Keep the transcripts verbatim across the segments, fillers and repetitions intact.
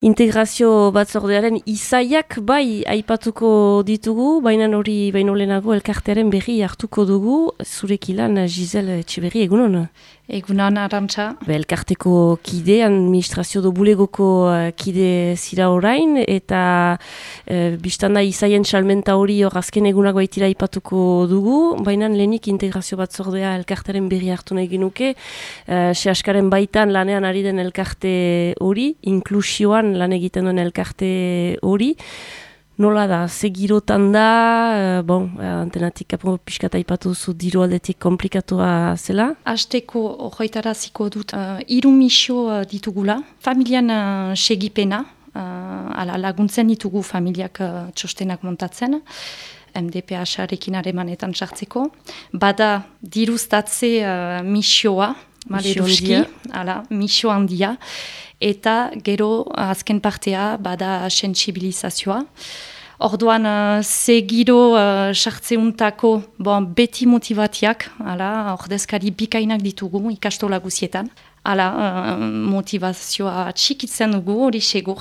Integrazio batzordearen izaiak bai aipatuko ditugu, baina hori baino lehenago elkartearen berri hartuko dugu, zurek ilan Giselle Etxeberri, egunon? Egunon, Arantxa. Be, elkarteko kide, administrazio do bulegoko uh, kide zira orain, eta uh, biztanda izaien salmenta hori hor azken egunak baitira aipatuko dugu, baina lehenik integrazio batzordea elkartearen berri hartu nahi genuke, uh, se askaren baitan lanean ari den elkarte hori, inklusioan lan egiten duen elkarte hori. Nola da, ze girotan da, uh, bon, antenatik apo pixkat aipatu zu diru aldetik komplikatua zela? Azteko horretaraziko dut, uh, hiru misio uh, ditugula, familian uh, segipena, uh, ala, laguntzen ditugu familiak uh, txostenak montatzen, M D P H-arekin haremanetan sartzeko. Bada diruztatze uh, misioa, maleruski, ala, misio handia, eta gero azken partea bada sentsibilizazioa. Orduan, uh, ze giro uh, sartzeuntako bon, beti motivatiak, ala, ordezkari bikainak ditugu ikastola guzietan. Hala, uh, motivazioa txikitzen dugu, hori segur.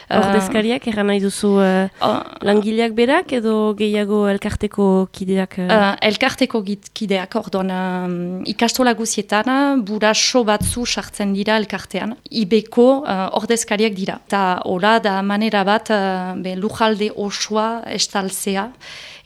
Ordezkariak, erran nahi duzu uh, uh, langileak berak edo gehiago elkarteko kideak? Uh... Uh, elkarteko kideak, orduan, uh, ikastola guzietan, buraso batzu sartzen dira elkartean. Ibeko uh, ordezkariak dira. Eta hola da manera bat, uh, be, lujalde osoa estaltzea,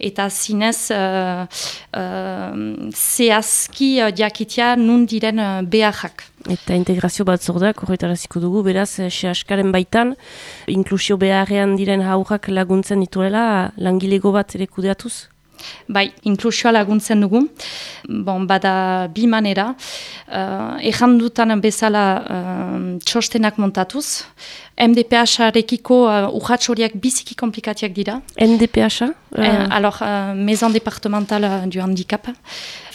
eta zinez uh, uh, zehazki uh, jakitea nun diren uh, beharrak. Eta integrazio batzordeak horretaraziko dugu, beraz, se askaren baitan, inklusio beharrean diren haurrak laguntzen dituela, langilego bat ere kudeatuz? Bai, inklusioa laguntzen dugu. Bon, bada bi manera. Uh, Ejan dutan bezala uh, txostenak montatuz. M D P H-arekiko uh, urratx horiak biziki komplikatiak dira. M D P H? Uh... Uh, alors, uh, Maison départementale du handicap.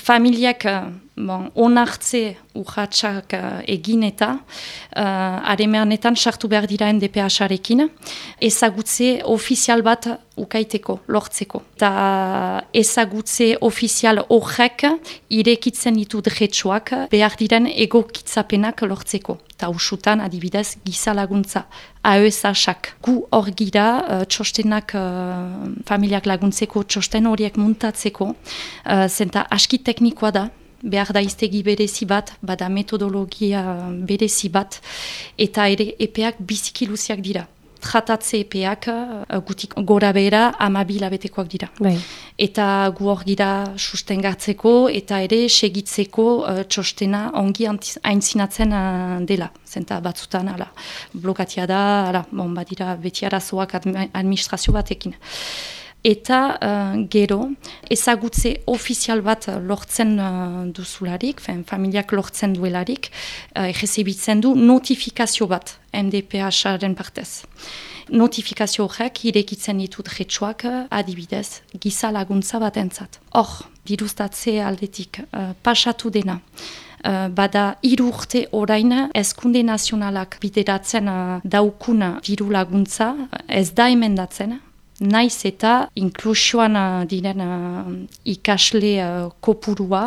Familiak uh, bon, onartze urratxak uh, egin eta uh, aremeanetan sartu behar dira M D P H-arekin, ezagutze ofizial bat ukaiteko, lortzeko. Eta ezagutze ofizial horrek irekitzen ditu dretsuak behar diren egokitzapenak lortzeko. Eta usutan, adibidez, giza laguntza, A E S A-sak. Gu hor gira, uh, txostenak, uh, familiak laguntzeko, txosten horiek muntatzeko, uh, zenta aski teknikoa da, behar da iztegi berezi bat, bada metodologia berezi bat, eta ere epeak biziki luziak dira. Tratatze epeak uh, gutik gora behera amabil abetekoak dira. Bai. Eta gu hor gira sustengatzeko eta ere segitzeko uh, txostena ongi aintzinatzen uh, dela. Zenta batzutan ala, blokatia da, ala, bon, badira beti arazoak administrazio batekin. Eta uh, gero, ezagutze ofizial bat lortzen uh, duzularik, fen, familiak lortzen duelarik, uh, egezibitzen du notifikazio bat M D P H-aren partez. Notifikazio horrek irekitzen ditut retsuak adibidez giza laguntza bat entzat. Hor, diruztatze aldetik uh, pasatu dena. Uh, bada hiru urte orain Hezkunde Nazionalak bideratzen uh, daukun diru laguntza ez da emendatzen. Naiz eta inklusioan uh, diren uh, ikasle uh, kopurua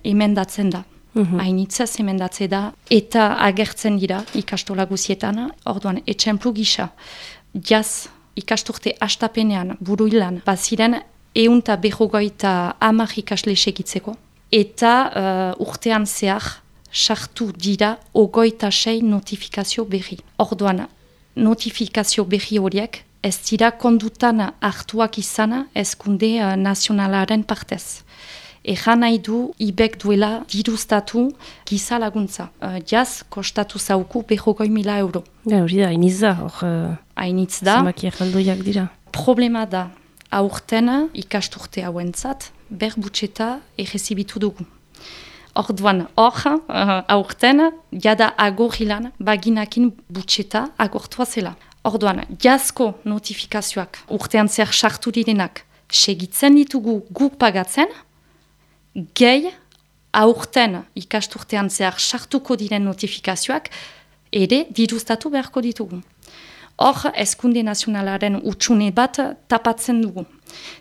emendatzen da. Mm-hmm. Hainitzaz emendatze da eta agertzen dira ikastola guzietan. Orduan, etxemplu gisa, jaz ikasturte hastapenean buruilan baziren eunta berrogoita hamar ikasle segitzeko. Eta uh, urtean zehar sartu dira ogoita sei notifikazio berri. Orduan, notifikazio berri horiek ez dira kondutan hartuak izana Hezkunde uh, Nazionalaren partez. Ejan nahi du ibek duela diruztatu giza laguntza. Uh, jaz kostatu zauku berrogoi mila euro. Ja, hori da, hainitz da. Hor, hainitz da. Zemakiak aldoiak dira. Problema da, aurten ikasturte hauentzat berbutxeta egezibitu dugu. Orduan, hor, uh, aurten, jada agorrilan baginakin butxeta agortua zela. Orduan, jazko notifikazioak urtean zer sartu direnak segitzen ditugu guk pagatzen, gehi aurten ikasturtean zer sartuko diren notifikazioak ere diruztatu beharko ditugu. Hor, Hezkunde Nazionalaren utxune bat tapatzen dugu.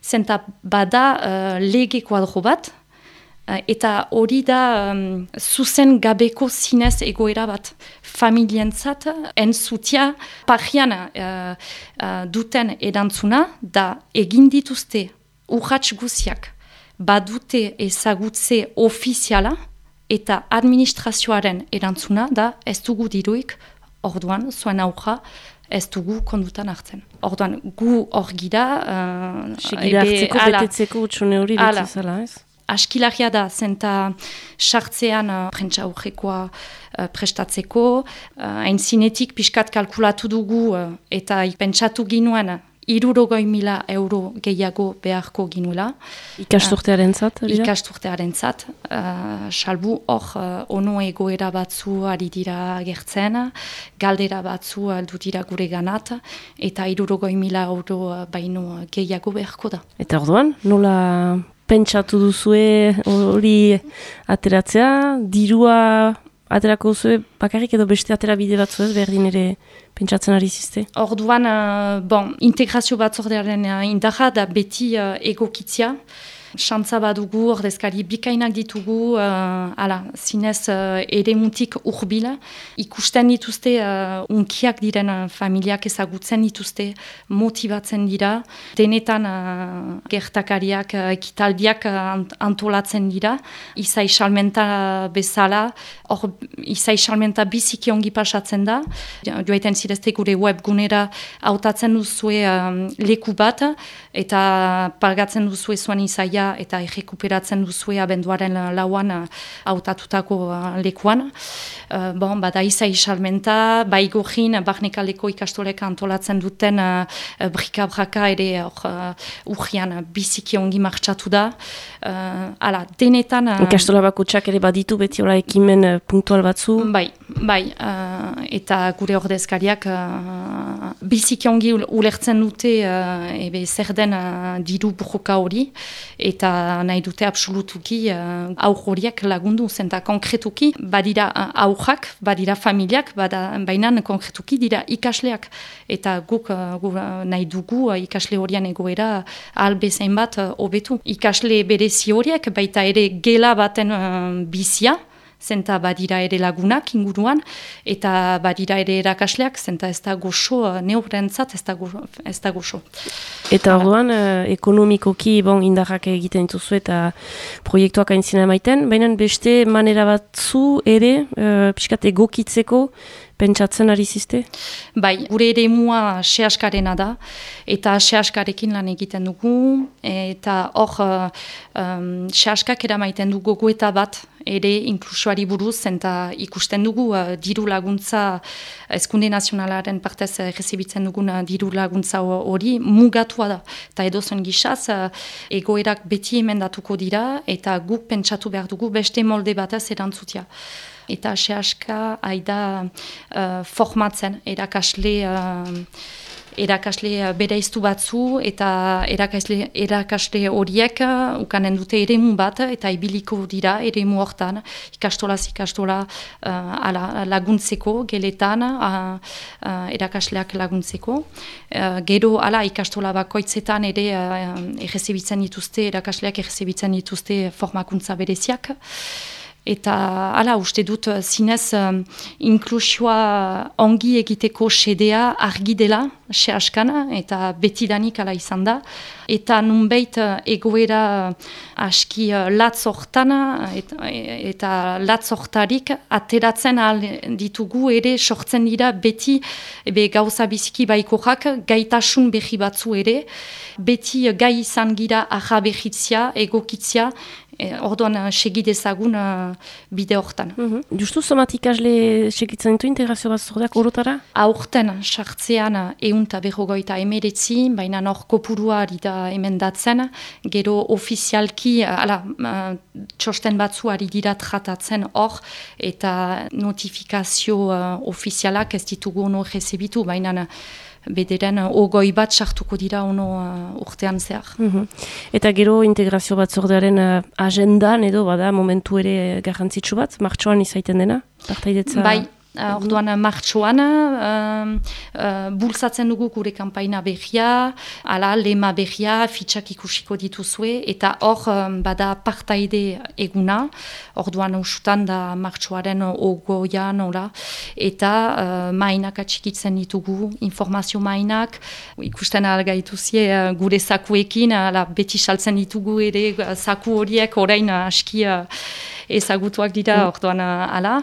Zenta bada uh, lege kuadro bat, Uh, eta hori da um, zuzen gabeko zinez egoera bat. Familientzat, entzutia, pagian uh, uh, duten erantzuna, da egin dituzte urrats guziak, badute ezagutze ofiziala, eta administrazioaren erantzuna, da ez dugu diruik, orduan, zuen aurra, ez dugu kondutan hartzen. Orduan, gu hor gira... Uh, Segida hartzeko, ala, betetzeko utxune hori betzizala, ez? Askilaria da, zenta sartzean uh, prentsa aurrekoa uh, prestatzeko, hain uh, zinetik pixkat kalkulatu dugu uh, eta pentsatu ginuen hirurogei mila euro gehiago beharko ginuela. Ikasturtearen zat? Uh, Ikasturtearen zat. Uh, salbu hor uh, ono egoera batzu ari dira gertzen, galdera batzu aldu dira gure ganat, eta hirurogei mila euro uh, baino gehiago beharko da. Eta orduan, nola pentsatu duzue hori ateratzea, dirua aterako duzue bakarrik edo beste atera bide batzu ez, berdin ere pentsatzen ari zizte? Orduan, uh, bon, integrazio batzordearen uh, indarra da beti uh, egokitzia. Xantza badugu, ordezkari bikainak ditugu, uh, ala, zinez uh, eremutik urbila. Ikusten dituzte, uh, unkiak diren uh, familiak ezagutzen dituzte, motibatzen dira. Denetan uh, gertakariak, uh, ekitaldiak uh, antolatzen dira. Izai salmenta bezala, hor izai salmenta biziki ongi pasatzen da. Joaiten zirezte gure webgunera hautatzen duzue um, leku bat, eta pagatzen duzue zuen izaia eta errekuperatzen duzue abenduaren lauan hautatutako lekuan. Uh, bon, bada izai salmenta, baigorrin, barnekaleko ikastolek antolatzen duten uh, brika-braka ere uh, urrian biziki ongi martxatu da. Uh, ala, denetan... Uh, Ikastola bakotxak ere baditu beti hola ekimen uh, punktual batzu? Bai, bai, uh, eta gure ordezkariak uh, biziki ongi ulertzen dute uh, ebe zer den uh, diru burroka hori, eta nahi dute absolutuki uh, aur horiek lagundu, zenta konkretuki badira uh, aurrak, badira familiak, bada, baina konkretuki dira ikasleak, eta guk, uh, guk uh, nahi dugu uh, ikasle horien egoera ahal bezain bat hobetu. Uh, ikasle berezi horiek, baita ere gela baten uh, bizia, zenta badira ere lagunak inguruan, eta badira ere erakasleak, zenta ez da goxo, neurentzat ez da goxo. Ez da goxo. Eta orduan, eh, ekonomikoki bon, indarrak egiten dituzu eta proiektuak aintzina emaiten, baina beste manera batzu ere, eh, pixkat egokitzeko, pentsatzen ari zizte? Bai, gure ere mua sehaskarena da, eta sehaskarekin lan egiten dugu, eta hor um, sehaskak eramaiten dugu gogoeta bat, ere inklusioari buruz, eta ikusten dugu uh, diru laguntza, Hezkunde Nazionalaren partez errezibitzen dugun uh, diru laguntza hori mugatua da. Eta edozen gisaz, uh, egoerak beti emendatuko dira, eta guk pentsatu behar dugu beste molde batez erantzutia. Eta sehaska haida uh, formatzen erakasle, uh, erakasle bereiztu batzu, eta erakasle, erakasle horiek uh, ukanen dute eremu bat, eta ibiliko dira eremu hortan, ikastolaz ikastola uh, ala, laguntzeko, geletan, uh, uh, erakasleak laguntzeko. Uh, gero ala ikastola bakoitzetan ere uh, errezibitzen dituzte, erakasleak errezibitzen dituzte formakuntza bereziak. Eta hala uste dut zinez um, inklusioa ongi egiteko sedea argi dela, sehaskana, eta betidanik hala izan da. Eta nunbait egoera aski latz hortan, eta, eta latz hortarik ateratzen ahal ditugu ere sortzen dira beti ebe gauza biziki baikorak, gaitasun behi batzu ere, beti gai izan gira arra behitzia, egokitzia, E, orduan segidezagun uh, bide hortan. Mm-hmm. Justu somat ikasle segitzen ditu integrazio batzordeak orotara? Aurten sartzean ehunta berrogeita emeretzi, baina hor kopurua ari da emendatzen, gero ofizialki, ala, uh, txosten batzu ari dira tratatzen hor, eta notifikazio uh, ofizialak ez ditugu ono rezebitu, baina bederen ogoi bat sartuko dira ono uh, urtean zehar. Mm-hmm. Eta gero integrazio batzordearen uh, agendan edo bada momentu ere garrantzitsu bat, martxoan izaiten dena, partaidetza? Bai, uh, orduan martxoan, uh, uh, bultzatzen dugu gure kanpaina berria, ala, lema berria, fitxak ikusiko dituzue, eta hor um, bada partaide eguna, orduan usutan da martxoaren ogoian, ola, eta uh, mainak atxikitzen ditugu, informazio mainak, ikusten algaituzie uh, gure zakuekin, ala, beti saltzen ditugu ere, uh, zaku horiek orain uh, aski uh, ezagutuak dira, mm. orduan uh, ala,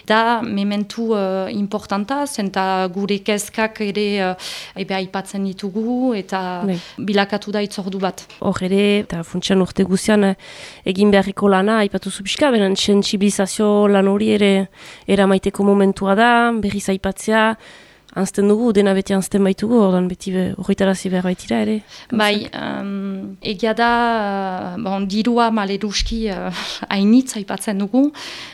da mementu uh, importanta, zenta gure kezkak ere uh, ebe aipatzen ditugu, eta ne. Bilakatu da itzordu bat. Hor ere, eta funtsian urte guzian egin beharriko lana, aipatu zupizka, beren sentsibilizazio lan hori ere eramaiteko momentua da, berriz aipatzea, anzten dugu, dena beti anzten baitugu, ordan beti horretarazi behar baitira ere. Bai, um, egia da, bon, dirua maleruski hainitz uh, aipatzen dugu,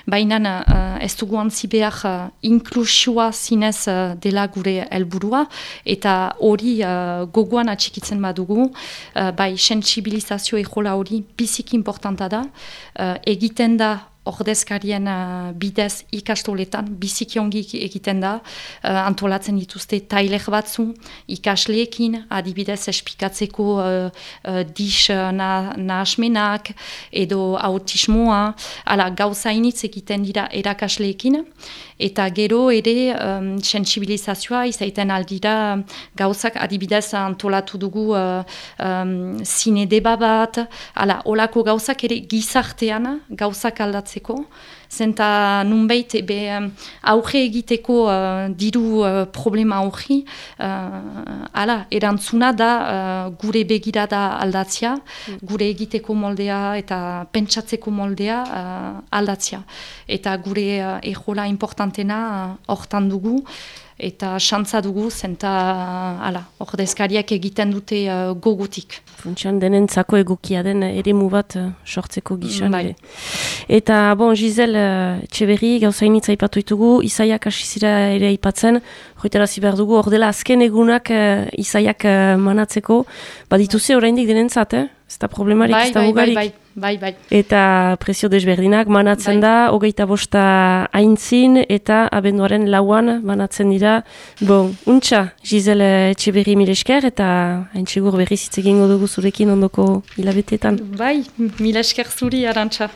baina uh, ez dugu antzi behar uh, inklusioa zinez uh, dela gure helburua, eta hori uh, gogoan atxikitzen badugu, uh, bai, sentsibilizazio ejola hori biziki importanta da, uh, egiten da ordezkarien uh, bidez ikastoletan, biziki ongi egiten da, uh, antolatzen dituzte tailer batzu, ikasleekin, adibidez espikatzeko uh, uh, dis uh, nahasmenak, edo autismoa, ala gauzainitz egiten dira erakasleekin, eta gero ere um, sensibilizazioa izaiten aldira gauzak adibidez antolatu dugu uh, um, zine deba bat, ala olako gauzak ere gizartean gauzak aldatzeko, zenta nunbait ebe aurre egiteko uh, diru uh, problema aurri, uh, ala, erantzuna da uh, gure begirada aldatzea, mm. gure egiteko moldea eta pentsatzeko moldea uh, aldatzea. Eta gure uh, ejola importantena hortan uh, dugu, eta xantza dugu, zenta ala, ordezkariak egiten dute uh, gogutik. Funtsian denentzako egokia den eremu bat uh, sortzeko gizan. Bai. Eta, bon, Giselle uh, Etxeberri, gauzainitza aipatu ditugu, Isaiak asizira ere aipatzen, joitarazi behar dugu, ordela azken egunak uh, Isaiak uh, manatzeko, badituze oraindik denentzat, eh? Ez da problemarik, bai, ez da bai, bugarik. Bai, bai, bai, bai. Eta prezio desberdinak manatzen bai. Da, hogeita bosta aintzin, eta abenduaren lauan manatzen dira. Bon, untxa, Giselle Etxeberri mil esker, eta hain segur berriz hitz egingo dugu zurekin ondoko hilabeteetan. Bai, mil esker zuri, Arantxa.